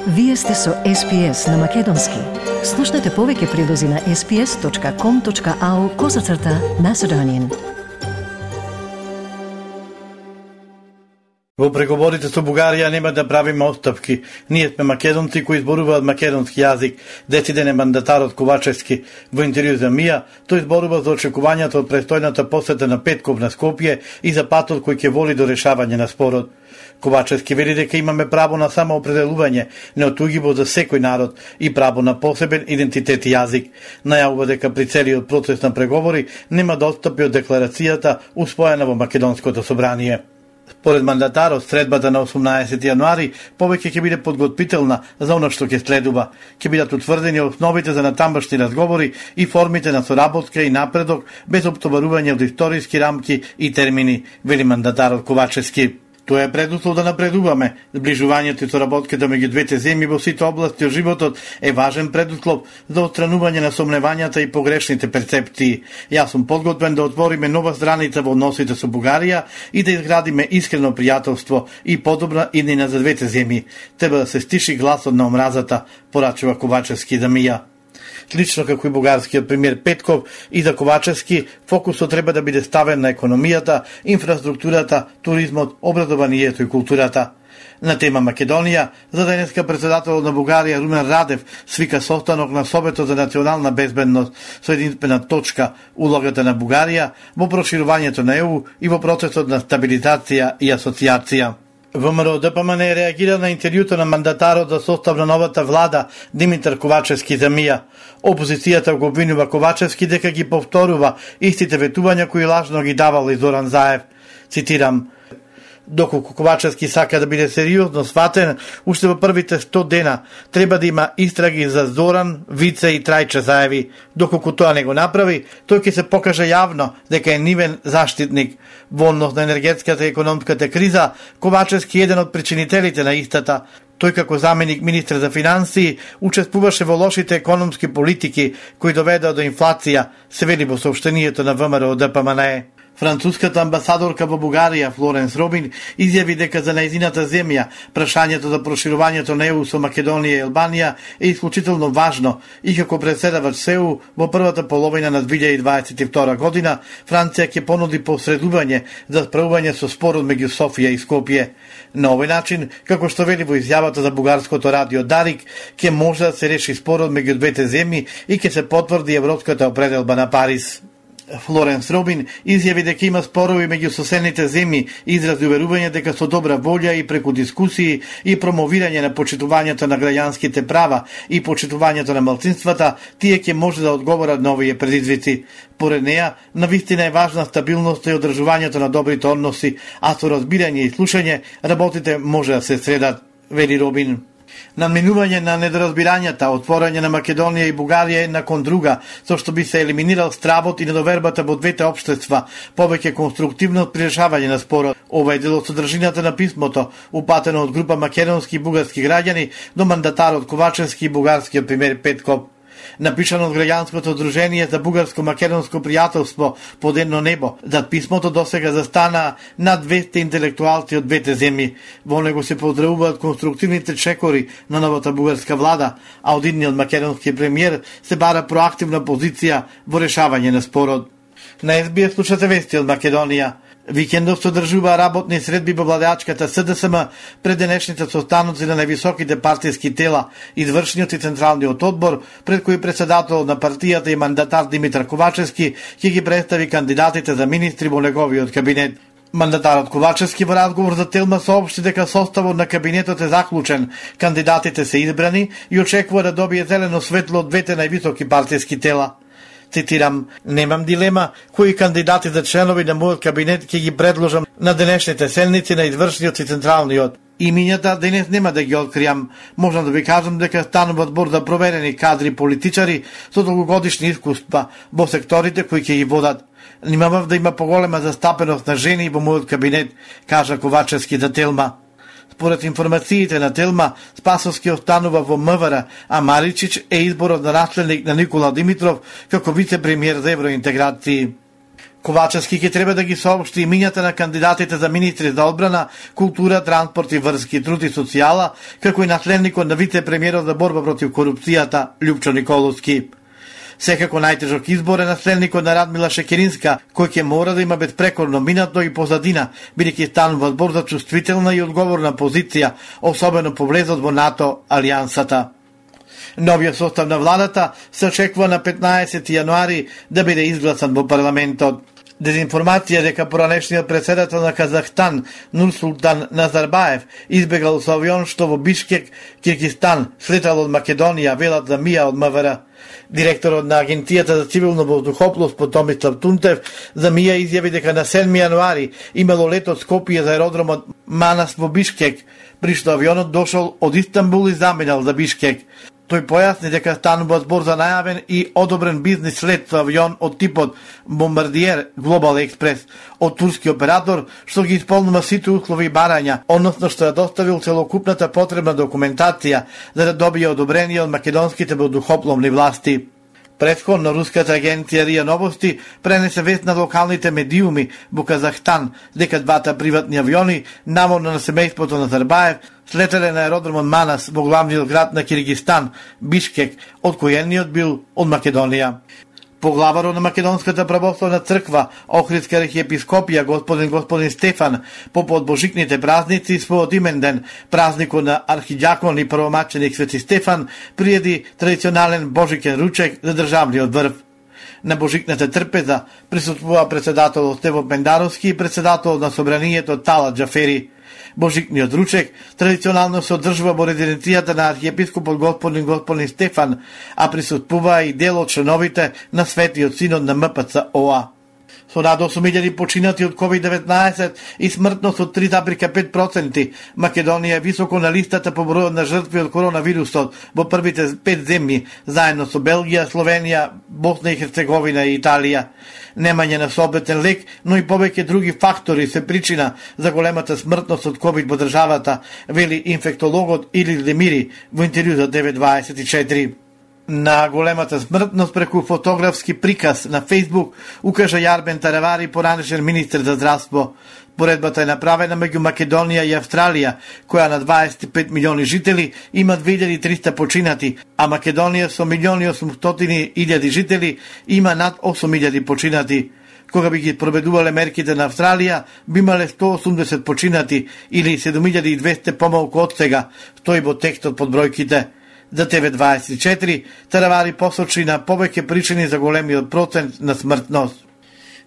Вие сте со SPS на Македонски. Слушнете повеќе прилози на sps.com.au/Macedonian. Во преговорите со Бугарија нема да правиме отстапки. Ние сме македонци кои зборуваат македонски јазик. Дециден е мандатарот Ковачевски. Во интервју за МИА, тој зборува за очекувањата од престојната посета на Петков на Скопје и за патот кој ќе води до решавање на спорот. Ковачевски вели дека имаме право на самоопределување, неотугиво за секој народ и право на посебен идентитет и јазик. Најавува дека при целиот процес на преговори нема да отстапи од декларацијата усвоена во Македонското собрание. Според мандатарот, средбата на 18 јануари повеќе ќе биде подготвителна за она што ќе следува. Ќе бидат утврдени основите за натамбашни разговори и формите на соработка и напредок без оптоварување од историски рамки и термини, вели мандатарот Ковачевски. Тоа е предуслов да напредуваме. Зближувањето и соработката меѓу двете земји во сите области од животот е важен предуслов за отстранување на сомневањата и погрешните перцепции. Јас сум подготвен да отвориме нова страница во односите со Бугарија и да изградиме искрено пријателство и подобра иднина за двете земји. Треба да се стиши гласот на омразата, порачува Ковачевски за МИА. Слично како и бугарскиот премиер Петков и за Ковачевски, фокусот треба да биде ставен на економијата, инфраструктурата, туризмот, образованието и културата. На тема Македонија, за денеска председателот на Бугарија Румен Радев свика состанок на Советот за национална безбедност со единствена точка улогата на Бугарија во проширувањето на ЕУ и во процесот на стабилизација и асоциација. ВМРО ДПМН реагира на интервјуто на мандатарот за состав на новата влада Димитар Ковачевски за МИА. Опозицијата го обвинува Ковачевски дека ги повторува истите ветувања кои лажно ги давал и Зоран Заев. Цитирам: "Доколку Ковачевски сака да биде сериозно сватен, уште во првите 100 дена треба да има истраги за Зоран, Вице и Трајче Заеви. Доколку тоа не го направи, тој ќе се покаже јавно дека е нивен заштитник. Во однос на енергетската и економската криза, Ковачевски е еден од причинителите на истата. Тој како заменик министр за финансии учествуваше во лошите економски политики кои доведоа до инфлација", се вели во соопштението на ВМРО ДПМН. Француската амбасадорка во Бугарија Флоренс Робин изјави дека за нејзината земја прашањето за проширувањето на ЕУ со Македонија и Албанија е исклучително важно и како председавач со ЕУ во првата половина на 2022 година Франција ќе понуди посредување за справување со спорот меѓу Софија и Скопје. На овој начин, како што вели во изјавата за бугарското радио Дарик, ќе може да се реши спорот меѓу двете земји и ќе се потврди европската определба на Париз. Флоренс Робин изјави дека има спорови меѓу соседните земји и изрази уверување дека со добра волја и преку дискусии и промовирање на почитувањето на граѓанските права и почитувањето на малцинствата, тие ќе може да одговорат на овие предизвици. Поред неа, навистина е важна стабилноста и одржувањето на добрите односи, а со разбирање и слушање работите може да се средат, вели Робин. Надминување на недоразбирањата, отворање на Македонија и Бугарија една кон друга, со што би се елиминирал стравот и недовербата во двете општества, повеќе конструктивност при решавање на спорот. Ова е дел од содржината на писмото, упатено од група македонски и бугарски граѓани до мандатарот Ковачевски и бугарскиот премиер Петков. Напишано од граѓанското здружение за бугарско-македонско пријателство под едно небо. Зад писмото досега застана над 200 интелектуалци од двете земји. Во него се поздравуваат конструктивните чекори на новата бугарска влада, а од идниот македонски премиер се бара проактивна позиција во решавање на спорот. На SBS слушате вести од Македонија. Викендов се одржува работни средби во владеачката СДСМ пред денешните состаноци на највисоките партиски тела, извршниот и централниот одбор, пред кој председател на партијата и мандатар Димитар Ковачевски ќе ги представи кандидатите за министри во неговиот кабинет. Мандатарот Ковачевски во разговор за Телма соопшти дека составот на кабинетот е заклучен, кандидатите се избрани и очекува да добие зелено светло од двете највисоки партиски тела. Цитирам: "Немам дилема кои кандидати за членови на мојот кабинет ќе ги предложам на денешните седници на извршниот и централниот. Имињата денес нема да ги откријам. Можам да ви кажам дека станува збор за проверени кадри политичари со долгогодишни искуства во секторите кои ќе ги водат. Нимавав да има поголема застапеност на жени во мојот кабинет", кажа Ковачевски за Телма. Според информациите на Телма, Спасовски останува во МВР, а Маричич е изборот на наследник на Никола Димитров како вице-премиер за евроинтеграции. Ковачевски ќе треба да ги соопшти имињата на кандидатите за министри за одбрана, култура, транспорт и врски, труд и социјала, како и наследникот на вице-премиерот за борба против корупцијата Љупчо Николовски. Секако најтежок избор е наследникот на Радмила Шекеринска, кој ќе мора да има безпрекорно минато и позадина, бидејќи станува збор за чувствителна и одговорна позиција, особено по влезот во НАТО алијансата. Новиот состав на владата се очекува на 15 јануари да биде изгласан во парламентот. Дезинформација дека поранешниот председател на Казахстан Нурсултан Назарбаев избегал со авион што во Бишкек, Киргизстан, слетал од Македонија, велат за МИА од МВР. Директорот на Агенцијата за цивилно воздухопловство Томислав Тунтев за МИА изјави дека на 7 јануари имало лет од Скопје за аеродромот Манас во Бишкек, при што авионот дошол од Истанбул и заминал за Бишкек. Тој појасни дека станува збор за најавен и одобрен бизнис лет со авион од типот Бомбардиер Глобал Експрес од турски оператор, што ги исполнува сите услови и барања, односно што ја доставил целокупната потребна документација за да добие одобрение од македонските воздухопловни власти. Претходно руската агенција РИА Новости пренесе вест на локалните медиуми во Казахстан дека двата приватни авиони, наводно на семејството на Назарбаев, слетеле на аеродромот Манас во главниот град на Киргизстан, Бишкек, од кој едниот бил од Македонија. Поглаварот на Македонската православна црква, Охридска архиепископија, господин Стефан, попод божикните празници, својот имен ден, празникот на архиđакон и првомаченик Свети Стефан, приеди традиционален божикен ручек за државниот врв. На божикната трпеза присуствува председателот Стево Пендаровски и председателот на собранието Талат Џафери. Божикниот ручек традиционално се одржува во резиденцијата на архиепископот господин Стефан, а присуствува и дел од членовите на Светиот синод на МПЦ-ОА. Со над 8.000 починати од COVID-19 и смртност од 3,5%, Македонија е високо на листата по бројот на жртви од коронавирусот во првите 5 земји, заедно со Белгија, Словенија, Босна и Херцеговина и Италија. Немање на соодветен лек, но и повеќе други фактори се причина за големата смртност од COVID во државата, вели инфектологот Илис Демири во интервју за 924. На големата смртност преку фотографски приказ на Facebook укажа Јарбен Таравари, поранешен министер за здравство. Поредбата е направена меѓу Македонија и Австралија, која на 25 милиони жители има 2300 починати, а Македонија со 1.800.000 жители има над 8.000 починати. Кога би ги проведувале мерките на Австралија, би имале 180 починати или 7200 помалку од сега, стои во текстот под бројките. За TV24, Таравари посочи на повеќе причини за големиот процент на смртност.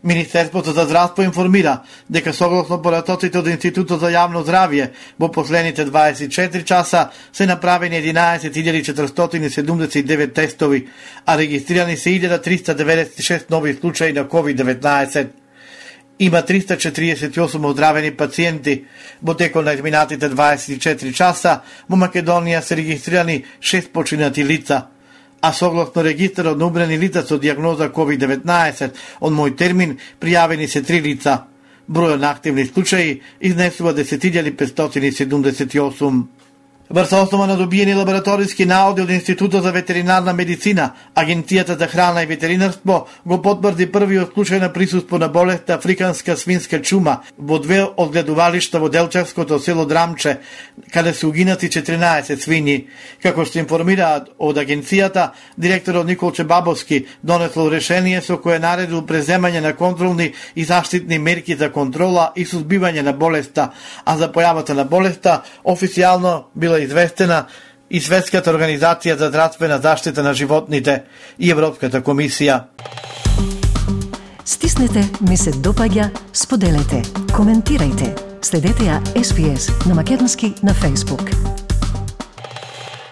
Министерството за здравство информира дека согласно поратоците од Институтот за јавно здравје во последните 24 часа се направени 11.479 тестови, а регистрирани се 1.396 нови случаи на COVID-19. Има 348 оздравени пациенти. Во текот на изминатите 24 часа во Македонија се регистрирани 6 починати лица, а согласно регистарот на умрени лица со дијагноза COVID-19 од мој термин пријавени се 3 лица. Бројот на активни случаи изнесува 10.578. Врз основа на добиени лабораториски наоди од Институтот за ветеринарна медицина, Агенцијата за храна и ветеринарство го потврди првиот случај на присуство на болест африканска свинска чума во две одгледувалишта во Делчевското село Драмче, каде се угинати 14 свињи. Како што информираат од агенцијата, директорот Николче Бабовски донесло решение со кое наредил преземање на контролни и заштитни мерки за контрола и сузбивање на болеста, а за појавата на болеста официјално била известена и Светската организација за здравствена заштита на животните и Европската комисија. Стиснете, ми се допаѓа, споделете, коментирајте. Следете ја SPS на македонски на Facebook.